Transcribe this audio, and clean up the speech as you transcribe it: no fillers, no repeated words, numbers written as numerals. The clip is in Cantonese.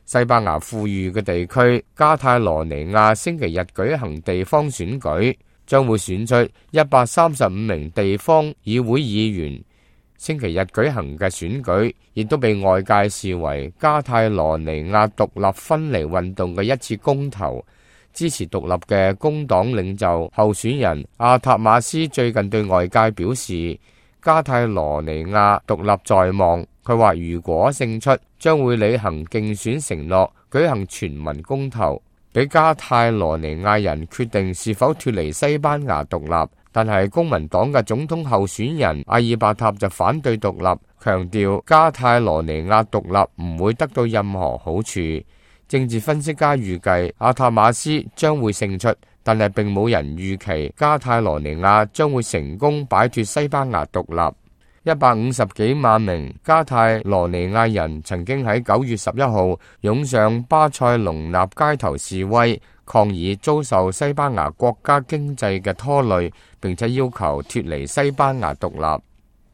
西班牙富裕嘅地區加泰羅尼亞星期日舉行地方選舉，將會選出135名地方議會議員。星期日舉行嘅選舉亦都被外界視為加泰羅尼亞獨立分離運動嘅一次公投。支持獨立嘅工黨領袖候選人阿塔馬斯最近對外界表示，加泰羅尼亞獨立在望。佢話如果勝出，將會履行競選承諾，舉行全民公投，俾加泰羅尼亞人決定是否脫離西班牙獨立。但係公民黨嘅總統候選人阿爾伯塔就反對獨立，強調加泰羅尼亞獨立唔會得到任何好處。政治分析家預計阿塔馬斯將會勝出，但係並冇人預期加泰羅尼亞將會成功擺脫西班牙獨立。150幾萬名加泰羅尼亞人曾經喺9月11號湧上巴塞隆納街頭示威，抗議遭受西班牙國家經濟嘅拖累，並且要求脫離西班牙獨立。